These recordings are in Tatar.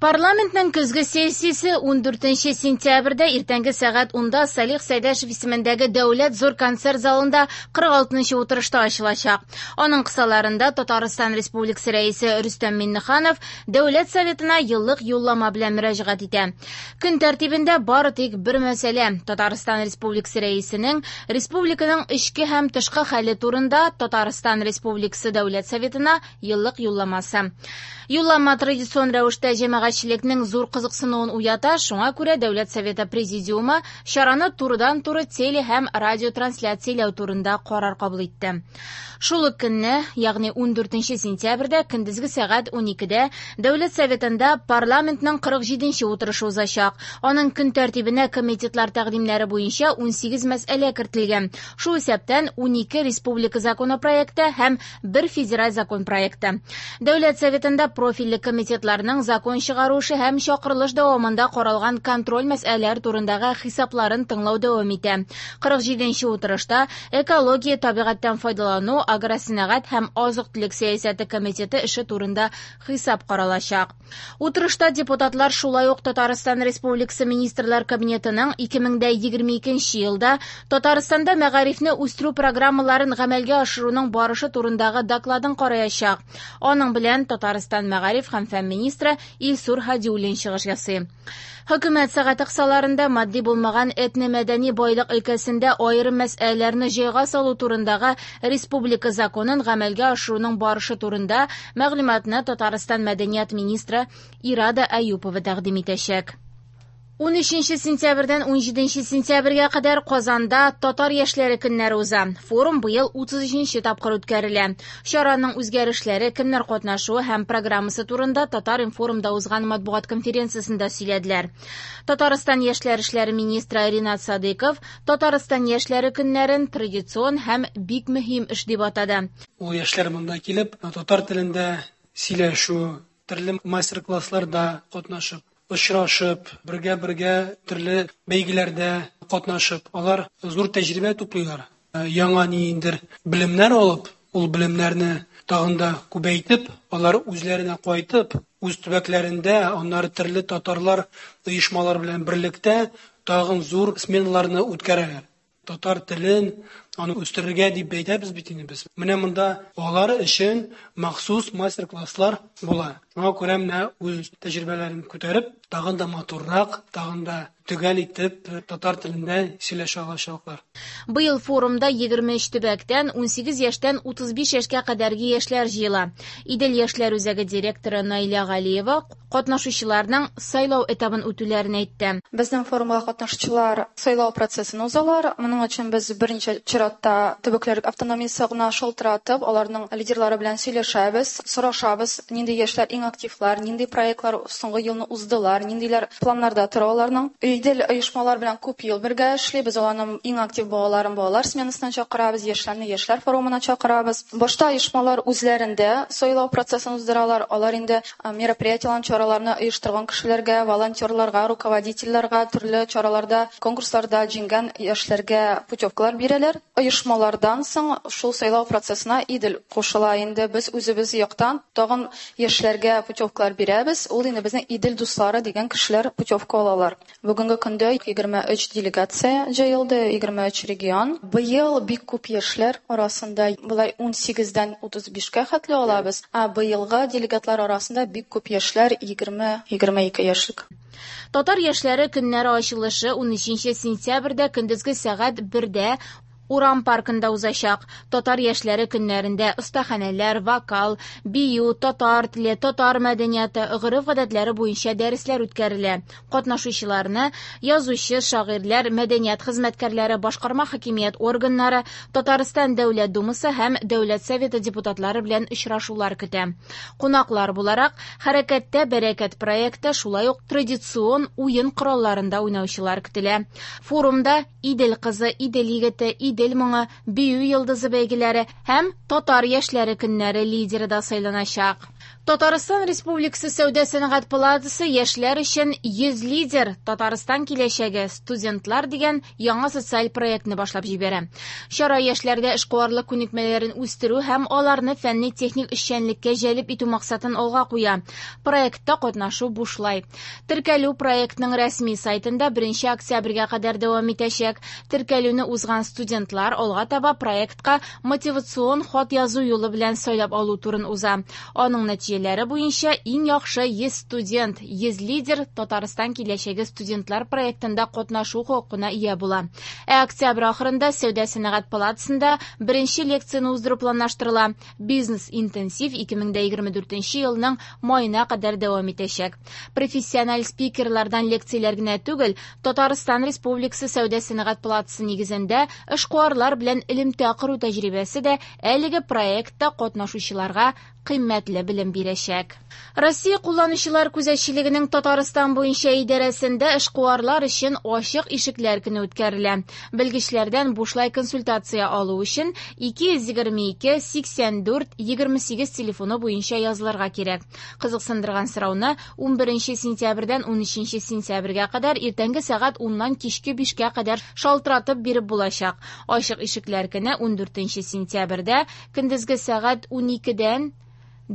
Парламентның көзге сессиясе 14 сентябрьдә иртәнге сәгать 10-да Салих Сәйдәшев исемендәге Дәүләт зур концерт залында 46-нчы утырышта ачылачак. Аның кысаларында Татарстан Республикасы Рәисе Рөстәм Миңнеханов Дәүләт Советына еллык юллама белән мөрәҗәгать итә. Көн тәртибендә бары тик бер мәсьәлә: Татарстан Республикасы Рәисенең республиканың эчке һәм тышкы хәле турында Татарстан Республикасы Дәүләт Советына еллык юлламасы. Юллама традицион рәвештә җәмәгатьчелекнең зур кызыксынуын уята, шуңа күрә Дәүләт Советы Президиумы чараны турыдан-туры теле һәм радиотрансляцияләү турында карар кабул итте. Шул ук көнне, ягъни 14 сентябрьдә көндезге сәгать 12-дә Дәүләт Советында парламентның 47-нче утырышы узачак. Аның көн тәртибенә комитетлар тәкъдимнәре буенча 18 мәсьәлә кертелгән. Шул исәптән 12 республика законопроекты һәм бер федераль закон проекты. Дәүләт Советында профильле комитетларның закон чыгару эше һәм чакырылыш дәвамында каралган контроль мәсьәләләр турындагы хисапларын тыңлау дәвам итә. 47-нче утырышта экология, табигатьтән файдалану, агросәнәгать һәм азык-төлек сәясәте комитеты эше турында хисап каралачак. Утырышта депутатлар шулай ук Татарстан Республикасы Министрлар Кабинетының 2022 елда Татарстанда мәгарифне үстерү программаларын гамәлгә ашыруның барышы турындагы докладын караячак. Аның белән Татарстан мәгариф һәм фән министры Илсур Һадиуллин чыгыш ясый. Хөкүмәт сәгате кысаларында матди булмаган этномәдәни байлык өлкәсендә аерым мәсьәләләрне җайга салу турындагы республика законын гамәлгә ашыруның барышы турында мәгълүматны Татарстан мәдәният министры Ирада Әюпова тәкъдим итәчәк. 13 сентябрьдән 17 сентябрьгә кадәр Казанда Татар яшьләре көннәре уза. Форум быел 33 тапкыр үткәрелә. Чараның үзгәрешләре, кемнәр катнашуы һәм программасы турында Татар-информда узган матбугат конференциясендә сөйләделәр. Татарстан яшьләр эшләре министры Ринат Садыйков Татарстан яшьләре көннәрен традицион һәм бик мөһим эш дип атады. Ул яшьләр монда килеп, татар телендә сөйләшү, төрле мастер-классларда катнашып, очрашып, бергә-бергә төрле бәйгеләрдә катнашып, алар зур тәҗрибә туплыйлар. Яңа ниндидер белемнәр алып, ул белемнәрне тагын да күбәйтеп, алар үзләренә кайтып, үз төбәкләрендә, аннары төрле татарлар оешмалар белән берлектә тагын зур сменаларны үткәрәләр. Татар телен аны үстерергә дип әйтәбез бит инде без. Менә монда алар өчен махсус мастер-класслар була. Шуңа күрә менә үз тәҗрибәләрен күтәреп, тагын да матуррак, тагын да төгәл итеп татар телендә сөйләшә алачаклар. Быел форумда 23 төбәктән 18 яшьтән 35 яшькә кадәрге яшьләр җыела. Идел яшьләр үзәге директоры Наилә Галиева катнашучыларның сайлау этабын үтүләрен әйтте. Безнең форумга катнашучылар сайлау процессын узалар. Моның өчен без берничә чиратта төбәкләр автономиясе гына шалтыратып, аларның лидерлары белән сөйләшәбез, сорашабыз, нинди яшьләр иң активлар, нинди проектлар соңгы елны уздылар, ниндиләр планнарда тора аларның. Идел оешмалар белән күп ел бергә эшлибез, аларның иң актив балаларын балалар сменасына чакырабыз, яшьләрне яшьләр форумына чакырабыз. Башта оешмалар үзләрендә сайлау процессын уздыралар, алар инде мероприятиеләрне, чараларны оештырган кешеләргә, волонтерларга, руководительләргә төрле чараларда, конкурсларда җиңгән яшьләргә путевкалар бирәләр. Оешмалардан соң шул сайлау процессына Идел кушыла инде. Без үзебез яктан тагын яшьләргә путевкалар бирәбез. Ул инде безнең Идел дуслары дигән кешеләр путевка алалар. Бүгенге көндә 23 делегация җыелды, 23 регион. Быел бик күп яшьләр арасында болай 18-дән 35-кә хәтле алабыз. Ә быелгы делегатлар арасында бик күп яшьләр 20-22 яшьлек. Татар яшьләре көннәре ачылышы 13 сентябрьдә көндезге сәгать 1-дә Урам паркында узачак. Татар яшьләре көннәрендә остаханәләр, вокал, бию, татар теле, татар мәдәнияты, гореф-гадәтләре буенча дәресләр үткәрелә. Катнашучыларны язучы, шагыйрьләр, мәдәният хезмәткәрләре, башкарма хакимият органнары, Татарстан Дәүләт Думасы һәм Дәүләт Советы депутатлары белән очрашулар көтә. Кунаклар буларак Хәрәкәттә бәрәкәт проекты, шулай ук традицион уен коралларында уйнаучылар көтелә. Форумда Идел кызы, Идел егете, Идел моңы, Бию йолдызы бәйгеләре һәм Татар яшьләре көннәре лидеры да сайланачак. Татарстан Республикасы Сәүдә-сәнәгать палатасы яшьләр өчен 100 лидер Татарстан киләчәге студентлар дигән яңа социаль проектны башлап җибәрә. Чара яшьләрдә эшкуарлык күнекмәләрен үстерү һәм аларны фәнни-техник эшчәнлеккә җәлеп итү максатын алга куя. Проектта катнашу бушлай. Теркәлү проектның рәсми сайтында 1 октябрьгә кадәр дәвам итәчәк. Теркәлүне узган студентлар алга таба проектка мотивацион хат язу юлы белән сайлап алу турын уза. Аның нәтиҗәләре буенча иң яхшы 100 студент, 100 лидер Татарстан киләчәге студентлар проектында катнашу хокукына ия була. Ә октябрь ахырында Сәүдә-сәнәгать палатасында беренче лекцияне уздыру планлаштырыла. Бизнес-интенсив 2024 елның маена кадәр дәвам итәчәк. Профессиональ спикерлардан лекцияләр генә түгел, Татарстан Республикасы Сәүдә-сәнәгать палатасы нигезендә эшкуарлар белән элемтә кору тәҗрибәсе дә әлеге проектта катнашучыларга кыйммәтле белем бирәчәк. Россия кулланучылар күзәтчелегенең Татарстан буенча идарәсендә эшкуарлар өчен ачык ишекләр көне үткәрелә. Белгечләрдән бушлай консультация алу өчен 222 84 28 телефоны буенча язылырга кирәк. Кызыксындырган сорауны 11 сентябрьдән 13 сентябрьгә кадәр иртәнге сәгать 10-нан кичке 5-кә кадәр шалтыратып биреп булачак. Ачык ишекләр көне 14 сентябрьдә көндезге сәгать 12-дән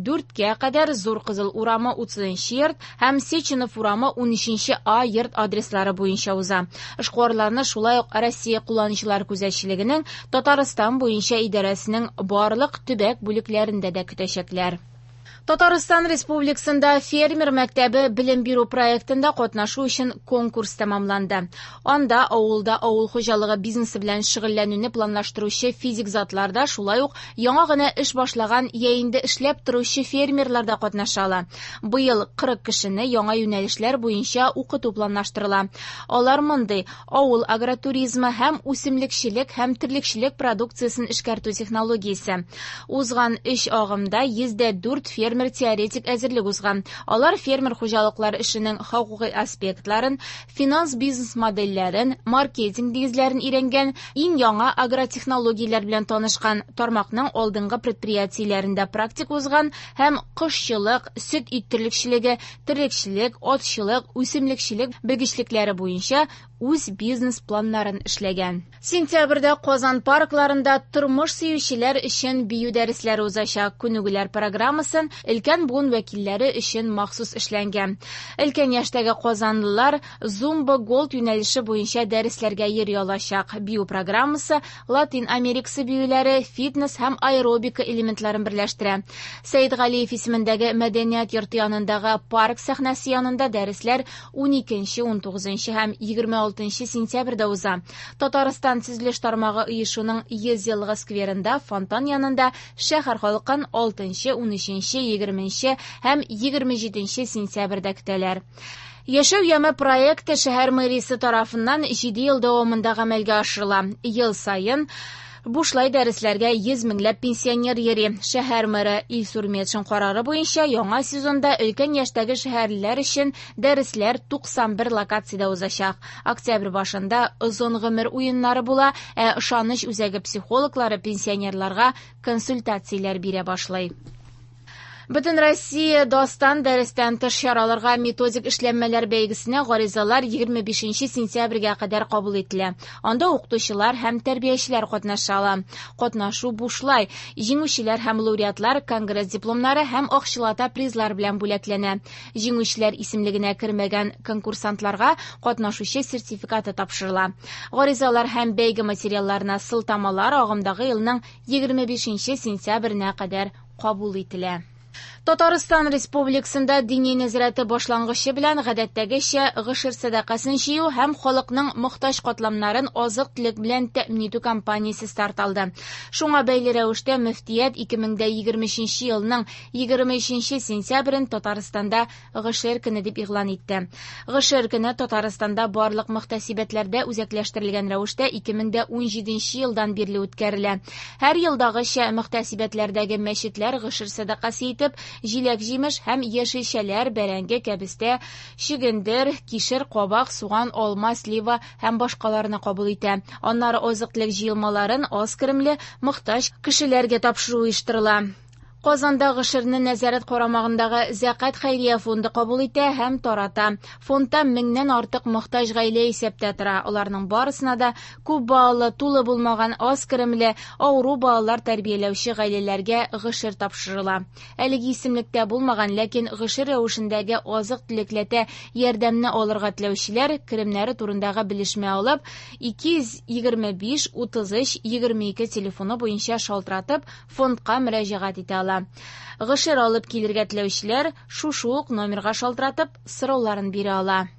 4-кә кадәр Зур Кызыл урамы 30 йорт һәм Сеченов урамы 13 А йорт адреслары буенча уза. Эшкуарларны шулай ук Россия кулланучылар күзәтчелегенең Татарстан буенча идарәсенең барлык төбәк бүлекләрендә дә көтәчәкләр. Татарстан Республикасында фермер мәктәбе белем бирү проектында катнашу өчен конкурс тәмамланды. Анда авылда авыл хуҗалыгы бизнесы белән шөгыльләнүне планлаштыручы физик затлар да, шулай ук яңа гына эш башлаган я инде эшләп торучы фермерлар да катнаша ала. Быел 40 кешене яңа юнәлешләр буенча укыту планлаштырыла. Алар мондый: авыл агротуризмы һәм үсемлекчелек һәм терлекчелек продукциясен эшкәртү технологиясе. Узган 3 агымда 104 фермер теоретик әзерлек узган. Алар фермер хуҗалыклары эшенең хокукый аспектларын, финанс бизнес модельләрен, маркетинг нигезләрен өйрәнгән, иң яңа агротехнологияләр белән танышкан, тармакның алдынгы предприятиеләрендә практик узган һәм кошчылык, сөт ит терлекчелеге, терлекчелек, атчылык, үсемлекчелек белгечлекләре буенча үз бизнес планнарын эшләгән. Сентябрьдә Казан паркларында тормыш сөючеләр өчен бию дәресләре узачак. Күнегүләр программасын өлкән буын вәкилләре өчен махсус эшләнгән. Өлкән яшьтәге казанлылар Зумба Голд юнәлеше буенча дәресләргә йөри алачак. Бию программасы Латин Америкасы биюләре, фитнес һәм аэробика элементларын берләштерә. Сәйдгалиев исемендәге мәдәният йорты янындагы парк сәхнәсе янында дәресләр 12, 19 һәм 26 сентябрьдә уза. Татарстан төзелеш тармагы оешуның 100 еллыгы скверында фонтан янында шәһәр халкын 6, 13, 20 һәм 27 сентябрьдә көтәләр. Яшәү яме проекты шәһәр мэриясе тарафыннан 7 ел дәвамында гамәлгә ашырыла. Ел саен бушлай дәресләргә 100 меңләп пенсионер йөри. Шәһәр мэры Илсур Метшин карары буенча яңа сезонда өлкән яшьтәге шәһәрлеләр өчен дәресләр 91 локациядә узачак. Октябрь башында озын гомер уеннары була, ә ышаныч үзәге психологлары пенсионерларга консультацияләр бирә башлый. Бөтен Россия дастан дәрестән тыш чараларга методик эшләнмәләр бәйгесенә гаризалар 25 сентябрьгә кадәр кабул ителә. Анда укытучылар һәм тәрбиячеләр катнаша ала. Катнашу бушлай. Җиңүчеләр һәм лауреатлар конгресс дипломнары һәм акчалата призлар белән бүләкләнә. Җиңүчеләр исемлегенә кермәгән конкурсантларга катнашучы сертификаты тапшырыла. Гаризалар һәм бәйге материалларына сылтамалар агымдагы елның 25 сентябренә кадәр кабул ителә. Татарстан Республикасында дини нәзарәте башлангычы белән гадәттәгечә гошер сәдакасын җыю һәм халыкның мохтаҗ катламнарын азык-төлек белән тәэмин итү кампаниясе старт алды. Шуңа бәйле рәвештә мөфтият 2023 елның 23 сентябрен Татарстанда гошер көне дип игълан итте. Гошер көне Татарстанда барлык мөхтәсибәтләрдә үзәкләштерелгән рәвештә 2017 елдан бирле үткәрелә. Һәр елдагыча мөхтәсибәтләрдәге мәчетләр гошер сәдакасы итеп җиләк-җимеш һәм яшелчәләр, бәрәңге, кәбестә, чөгендер, кишер, кабак, суган, алма, слива һәм башкаларны кабул итә. Аннары азык-төлек җыелмаларын аз керемле мохтаҗ кешеләргә тапшыру оештырыла. Казанда гошерне нәзарәт карамагындагы Зәкят хәйрия фонды кабул итә һәм тарата. Фондта меңнән артык мохтаҗ гаилә исәптә тора. Аларның барысына да күп балалы, тулы булмаган, аз керемле, авыру балалар тәрбияләүче гаиләләргә гошер тапшырыла. Әлеге исемлектә булмаган, ләкин гошер рәвешендәге азык-төлекләтә ярдәмне алырга теләүчеләр керемнәре турындагы белешмә алып, 225 33 22 телефоны буенча шалтыратып, фондка мөрәҗәгать итә ала. Гошер алып килергә теләүчеләр шушы ук номерга шалтыратып, сорауларын бирә ала.